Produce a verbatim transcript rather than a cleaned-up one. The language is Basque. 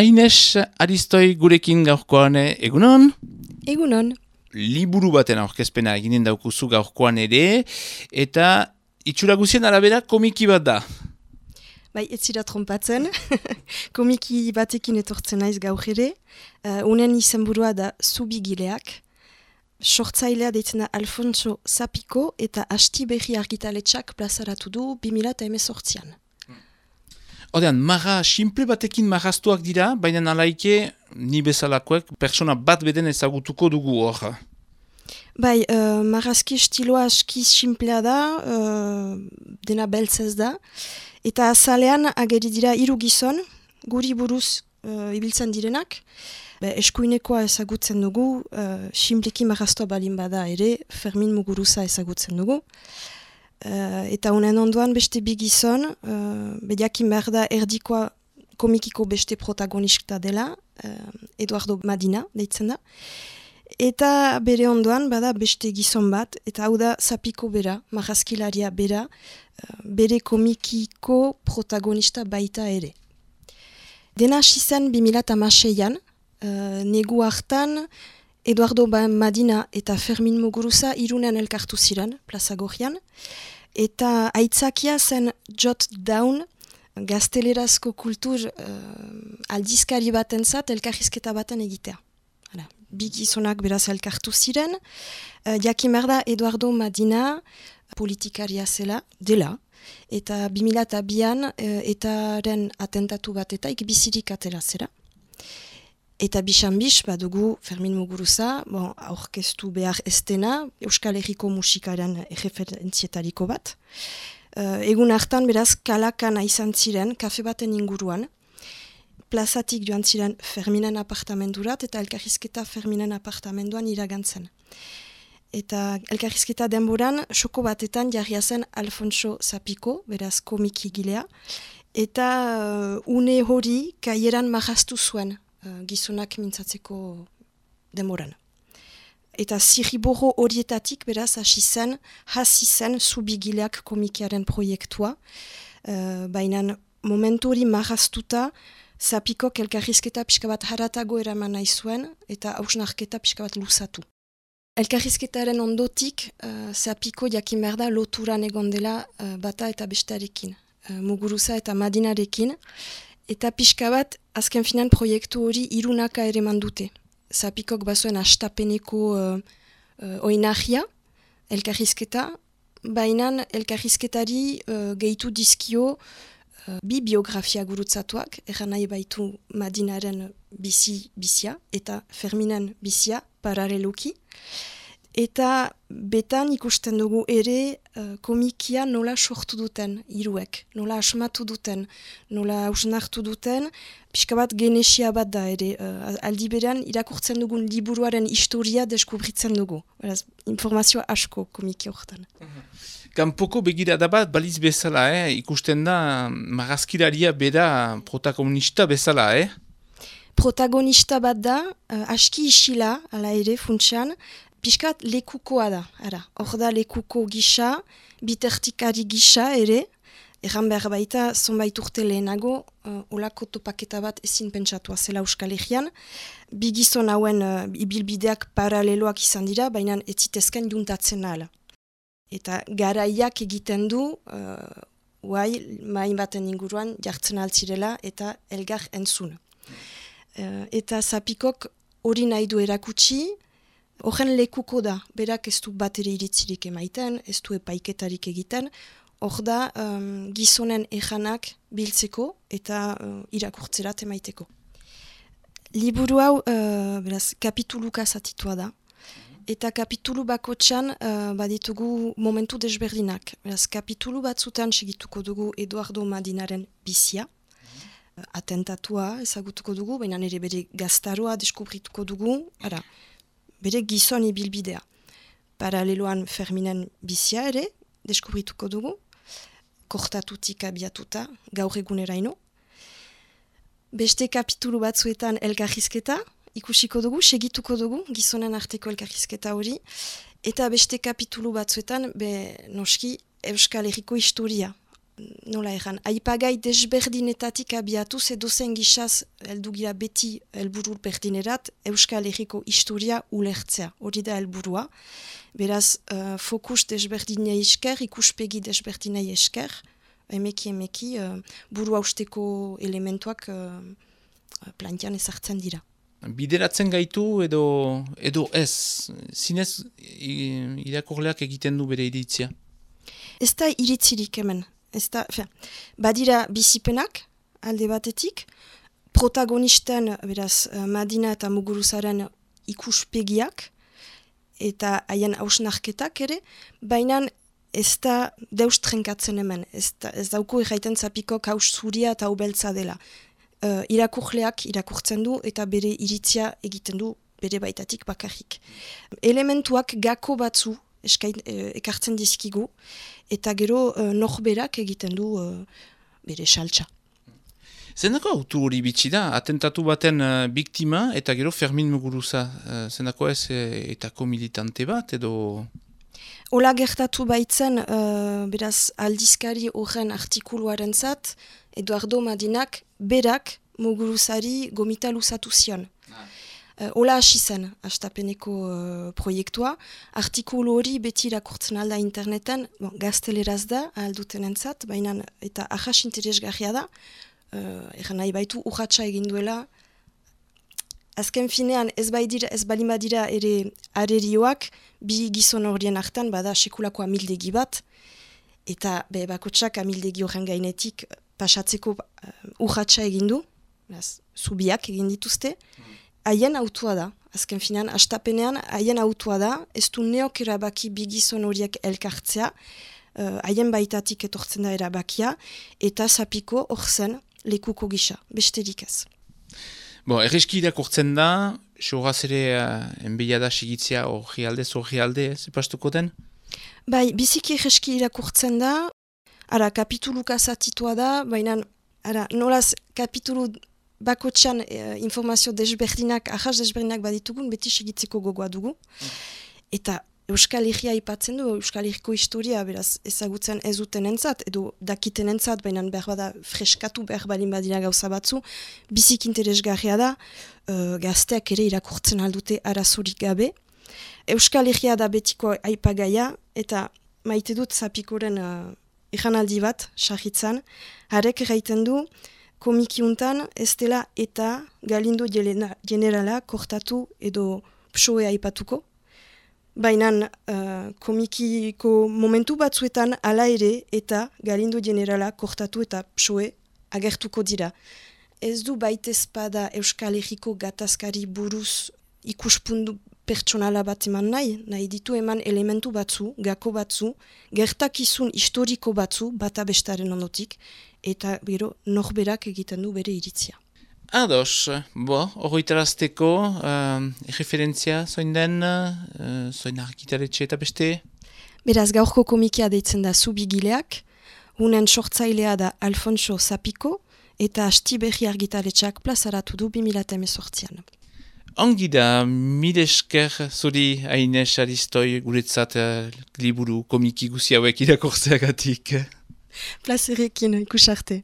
Aines Aristoi gurekin gaurkoan egunon? Egunon. Liburu baten aurkezpena eginen daukuzu gaurkoan ere, eta itxura guzien arabera komiki bat da. Bai, ez zira trompatzen. Komiki batekin etortzen naiz gaur ere. Uh, unen izenburua da Zubigileak. Sortzailea deitzen da Alfonso Zapiko eta Asti Berri argitaletxak plazaratu du bi mila hemezortzian. Odean, marra simple batekin marraztuak dira, baina nalaike ni bezalakoek persona bat beden ezagutuko dugu hor. Bai, uh, marrazki estiloa aski simplea da, uh, dena beltzez da. Eta azalean ageri dira hiru gizon, guri buruz uh, ibiltzen direnak. Be, eskuinekoa ezagutzen dugu, uh, simpleki marraztua balin bada ere, Fermin Muguruza ezagutzen dugu. Uh, eta honen ondoan beste bi gizon, uh, bediakin behar da erdikoa komikiko beste protagonista dela, uh, Eduardo Madina deitzen da. Eta bere ondoan bada beste gizon bat, eta hau da Zapiko bera, marrazkilaria bera, uh, bere komikiko protagonista baita ere. Dena hasi zen bi mila hamaseian, uh, negu hartan Eduardo Madina eta Fermin Muguruza Irunen elkartu ziren, Plaza Gorrian, eta aitzakia zen Jot Down, gaztelerazko kultur uh, aldizkari batentzat elkarrizketa baten egitea. Hala, bi gizonak beraz elkartu ziren, uh, jakin behar da Eduardo Madina politikaria zela, dela, eta bi mila bian uh, etaren atentatu batetaik bizirik atera zera. Eta bisan-bis badugu Fermin Muguruza, bon, aurkeztu behar estena, Euskal Herriko musikaren erreferentzietariko bat. Uh, egun hartan beraz kalakana izan ziren, kafe baten inguruan, plazatik joan ziren Ferminen apartamendurat eta elkarrizketa Ferminen apartamenduan iragantzen. Eta elkarrizketa denboran, soko batetan jarria zen Alfonso Zapiko, beraz komikigilea, eta uh, une hori kaieran marraztu zuen, Uh, gizonak mintzatzeko demoran. Eta zirriborro horietatik beraz hasi zen, hasi zen Zubigileak komikiaren proiektua. Uh, Baina momentu hori marraztuta, Zapikok elkarrizketa pixka bat haratago eraman nahi zuen, eta hausnarketa pixka bat luzatu. Elkarrizketaren ondotik, uh, Zapiko jakin behar da loturan egon dela uh, bata eta bestearekin. Uh, Muguruza eta Madinarekin, eta pixka bat, azken finan proiektu hori irunaka ere mandute. Zapikok bazuen astapeneko uh, uh, oinahia, elkarrizketa, baina elkarrizketari uh, gehitu dizkio uh, bi biografia gurutzatuak, erran nahi baitu Madinaren bizi bizia eta Ferminen bizia paraleluki. Eta betan ikusten dugu ere uh, komikia nola sortu duten hiruek, nola asmatu duten, nola hausnartu duten, pixka bat genesia bat da ere. Uh, aldi berean irakurtzen dugun liburuaren historia deskubritzen dugu. Beraz, informazioa asko komiki horretan. Kanpoko begirada bat baliz bezala, eh? Ikusten da marrazkilaria bera protagonista bezala, eh? Protagonista bat da, uh, aski isila, ala ere, funtsean, piskat lekukoa da, ara. Hor da lekuko gisa, bitertikari gisa ere, erran behar baita, zonbait urte lehenago, uh, olako topaketa bat ezin pentsatua zela Euskal Herrian. Bi gizon hauen uh, ibilbideak paraleloak izan dira, baina ez zitezken juntatzen ahala. Eta garaiak egiten du, uh, uai, main baten inguruan jartzen altzirela eta elgar entzun. Uh, eta Zapikok hori nahi du erakutsi, horren lekuko da, berak ez du bat ere iritzirik emaiten, ez du epaiketarik egiten, hor da um, gizonen ejanak biltzeko eta uh, irakurtzerat emaiteko. Liburu hau, uh, beraz, kapituluka zatitua da, eta kapitulu bakotxan uh, baditugu momentu desberdinak. Beraz, kapitulu batzutan segituko dugu Eduardo Madinaren bizia, uh, atentatua ezagutuko dugu, baina nire bere gaztaroa deskubrituko dugu, ara, bere gizon ibilbidea. Paraleloan Ferminen bizia ere, deskubrituko dugu, kortatutik abiatuta, gaur eguneraino. Beste kapitulu batzuetan elkarrizketa, ikusiko dugu, segituko dugu, gizonen arteko elkarrizketa hori, eta beste kapitulu batzuetan, be, noski, Euskal Herriko historia. nola erran, aipagai desberdinetatik abiatuz edo zen gizaz heldu gira beti helburu berdinerat Euskal Herriko historia ulertzea, hori da helburua. Beraz, uh, fokus desberdinei esker, ikuspegi desberdinei esker, emeki emeki uh, burua usteko elementuak uh, plantian ezartzen dira. Bideratzen gaitu edo edo ez, zinez irakurleak egiten du bere iritzia? Ez da iritzirik hemen. Ez da, fe, badira bizipenak alde batetik, protagonisten, beraz, Madina eta Muguruzaren ikuspegiak, eta haien hausnarketak ere, baina ez da deus trenkatzen hemen, ez, da, ez dauko erraiten zapiko haus zuria eta ubeltza dela. Uh, irakurleak irakurtzen du eta bere iritzia egiten du bere baitatik bakarrik. Elementuak gako batzu eskain, e, ekartzen dizkigu, eta gero uh, norberak egiten du uh, bere saltza. Zendako autu hori bitxi da, atentatu baten uh, biktima eta gero Fermin Muguruza, uh, zendako ez e, etako militante bat edo... Ola gertatu baitzen, uh, beraz aldizkari horren artikuluaren zat, Eduardo Madinak berak Muguruzari gomita luzatu zion. Ah. Uh, Ola hasi zen, hastapeneko uh, proiektua. Artikulu hori beti irakurtzen alda interneten, bon, gazteleraz da, alduten entzat, baina eta ahas interesgarria da, uh, eran nahi baitu urratsa egin duela. Azken finean ez baidira, ez balimadira ere arerioak, bi gizon horien hartan bada sekulako amildegi bat, eta be, bakotsak amildegi horren gainetik pasatzeko uh, urratsa egin du, zubiak egin dituzte, haien autua da, azken finean, hastapenean haien autua da, ez du neok erabaki bi gizon horiek elkartzea, haien uh, baitatik etortzen da erabakia, eta zapiko hor zen lekuko gisa, besterik ez. Bo, erreski irakurtzen da, soraz ere uh, enbeia da sigitzea horri alde, zorri alde, zepastuko den? Bai, biziki erreski irakurtzen da, ara, kapituluka zatitua da, baina, ara, nolaz kapitulu bakotxan e, informazio desberdinak, ahas desberdinak baditugun, beti segitzeko gogoa dugu. Mm. Eta Euskal Herria aipatzen du, Euskal Herriko historia, beraz, ezagutzen ez duten entzat, edo dakiten entzat, baina behar bada freskatu behar balin badina gauza batzu, bizik interesgarria da, uh, gazteak ere irakurtzen aldute arazorik gabe. Euskal Herria da betiko aipagaia, eta maite dut zapikoren uh, ikanaldi bat, sarritzan, harek erraiten du, komikiuntan ez dela eta Galindo generala kortatu edo psoe aipatuko. Baina uh, komikiko momentu batzuetan ala ere eta Galindo generala kortatu eta psoe agertuko dira. Ez du baitezpada Euskal Herriko gatazkari buruz ikuspundu pertsonala bat eman nahi, nahi ditu eman elementu batzu, gako batzu, gertakizun historiko batzu, bata bestaren ondotik, eta bero norberak egiten du bere iritzia. Ados, bo, horretarazteko, uh, referentzia zoin den, uh, zoin argitaletxe eta beste? Beraz, gaurko komikia deitzen da Zubigileak, unen sortzailea da Alfonso Zapiko, eta Asti Berri argitaletxeak plazaratu du bi mila hemezortzian. Ongi da, mil esker zuri Aines Aristoi guretzat uh, liburu komiki guzi hauek irakortzeagatik. Plazerekin, ikusarte.